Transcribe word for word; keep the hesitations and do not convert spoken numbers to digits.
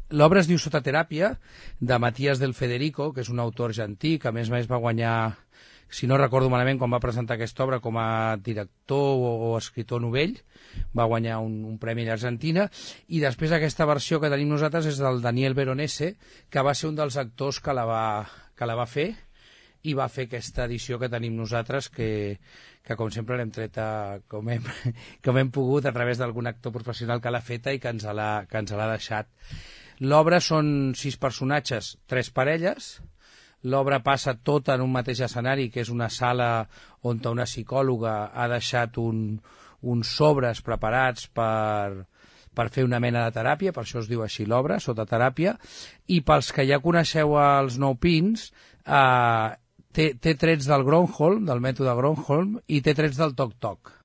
L'obra es diu Sotateràpia, de Matías del Federico, que és un autor argentí, que a més a més va guanyar, si no recordo malament, quan va presentar aquesta obra com a director o, o escriptor novell, va guanyar un, un premi a l'Argentina, i després aquesta versió que tenim nosaltres és del Daniel Veronese, que va ser un dels actors que la va, que la va fer, i va fer aquesta edició que tenim nosaltres, que, que com sempre l'hem treta com hem, com hem pogut a través d'algun actor professional que l'ha feta i que ens l'ha que ens l'ha deixat. L'obra són sis personatges, tres parelles. L'obra passa tota en un mateix escenari, que és una sala on una psicòloga ha deixat un, uns sobres preparats per, per fer una mena de teràpia, per això es diu així l'obra, Sotateràpia, i pels que ja coneixeu els Nou Pins, eh, té, té trets del Gronholm, del mètode Gronholm, i té trets del Toc Toc.